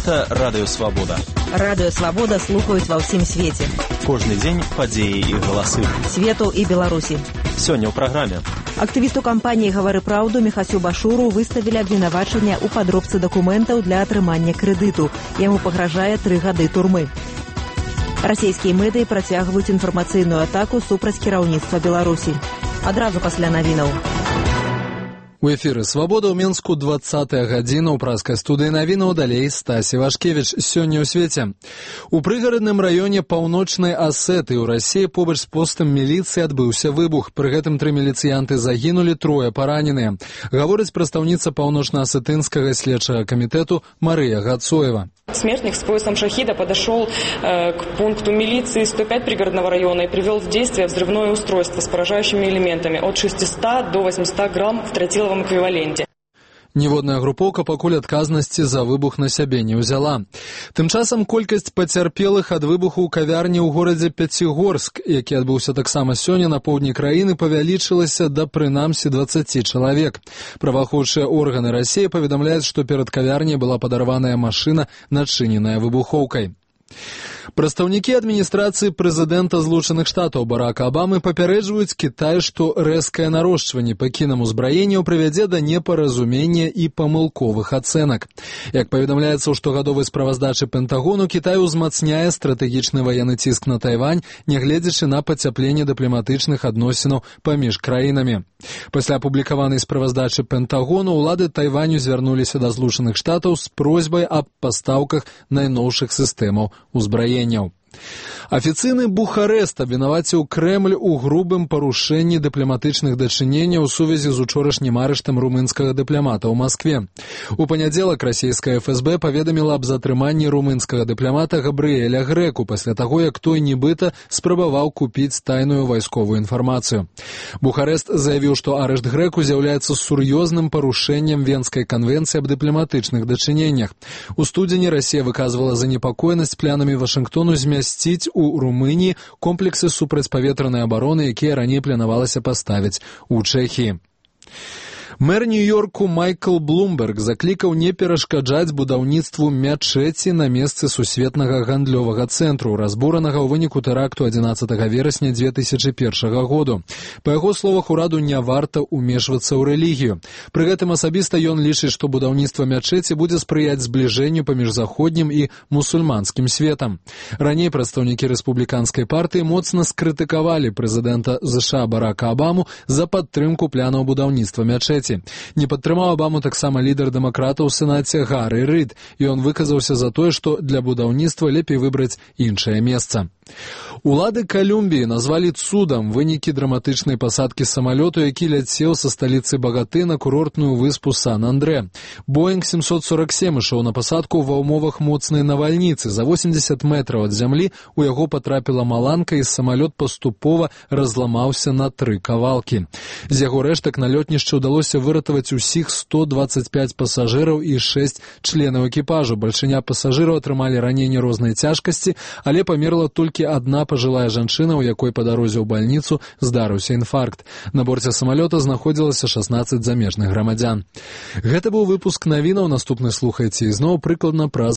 Гэта Радыё Свабода. Радыё Свабода слухаюць ва ўсім свеце. Кожны дзень падзеі і галасы. Свету і Беларусі. Сёння ў праграме. Актывісту кампаніі «Гавары праўду» Міхасю Башуру выставілі абвінавачанне ў падробцы дакументаў для атрымання крэдыту. Яму пагражае 3 гады турмы. Расійскія медыі працягваюць інфармацыйную атаку супраць кіраўніцтва Беларусі. Адразу пасля навінаў. У эфіры «Свабода» ў Мінску 20-я гадзіна. У праскай студыі навінаў далей Стасі Вашкевіч. Сёння ў свеце. У прыгарадным раёне паўночнай Асеты ў Расіі побач з постам міліцыі адбыўся выбух. Пры гэтым 3 міліцыянты загінулі, 3 параненыя. Гаворыць прадстаўніца паўночна-асетынскага следчага камітэту Марыя Гацоева. Смертник с поясом шахида подошел к пункту милиции 105 пригородного района и привел в действие взрывное устройство с поражающими элементами от 600 до 800 грамм в тротиловом эквиваленте. Ніводная групоўка пакуль адказнасці за выбух на сябе не ўзяла. Тым часам колькасць пацярпелых ад выбуху ў кавярні ў горадзе Пяцігорск, які адбыўся таксама сёння на поўдні краіны, павялічылася да прынамсі 20 чалавек. Праваахоўчыя органы Расіі паведамляюць, што перад кавярняй была падарваная машына, начыненая выбухоўкай. Прадстаўнікі адміністрацыі прэзідэнта Злучаных Штатаў Барака Абамы папярэджваюць Кітай, што рэзкае нарошчванне па кінамузбраенняў прывядзе да непаразумення і памылковых ацэнак. Як паведамляецца ў штогадовай справаздачы Пентагону, Кітай узмацняе стратэгічны ваенны ціск на Тайвань, нягледзячы на пацяпленне дыпламатычных адносінаў паміж краінамі. Пасля апублікаванай справаздачы Пентагону ўлады Тайваню звярнуліся да Злучаных Штатаў з просьбай аб пастаўках найноўшых сістэмаў узбраення. Афіцыйны Бухарэст абвінаваціў Крэмль у грубым парушэнні дыпламатычных дачыненняў у сувязі з учорашнім арыштам румынскага дыпламата ў Маскве. У панядзелак расійская ФСБ паведаміла аб затрыманні румынскага дыпламата Габрыэля Грэку пасля таго, як той нібыта спрабаваў купіць тайную вайсковую інфармацыю. Бухарэст заявіў, што арышт Грэку з'яўляецца сур'ёзным парушэннем Венскай канвенцыі аб дыпламатычных дачыненнях. У студзені Расія выказвала занепакоенасць планамі Вашынгтону змясціць у Румыніі комплексы супрацьпаветранай абароны, якія раней планавалася паставіць у Чэхіі. Мэр Нью-Йорку Майкл Блумберг заклікаў не перашкаджаць будаўніцтву мячэці на месцы сусветнага гандлёвага цэнтру, разбуранага ў выніку тэракту 11 верасня 2001 году. Па яго словах, ураду не варта ўмешвацца ў рэлігію. Пры гэтым асабіста ён лічыць, што будаўніцтва мячэці будзе спрыяць збліжэнню паміж заходнім і мусульманскім светам. Раней прадстаўнікі рэспубліканскай партыі моцна скрытыкавалі прэзідэнта США Барака Абаму за падтрымку планаў будаўніцтва мячэці. Не падтрымаў Абаму таксама лідар дэмакратаў у Сенаце Гары Рыд, і ён выказаўся за тое, што для будаўніцтва лепей выбраць іншае месца. Улады Калумбіі назвалі цудам вынікі драматычнай пасадкі самалёту, які ляцеў са сталіцы Багаты на курортную выспу Сан-Андрэ. Боинг 747 ішоў на пасадку ва ўмовах моцнай навальніцы. За 80 метраў ад зямлі у яго патрапіла маланка, і самалёт паступова разламаўся на 3 кавалкі. З яго рэштак на лётнішчы ўдалося выратаваць усіх 125 пасажыраў і 6 членаў экіпажу. Бальшыня пасажыраў атрымалі раненні рознай цяжкасці, але памерла толькі адна пажылая жанчына, у якой па дарозе ў бальніцу здарыўся інфаркт. На борце самалёта знаходзілася 16 замежных грамадзян. Гэта быў выпуск навінаў. Наступны слухайце ізноў прыкладна праз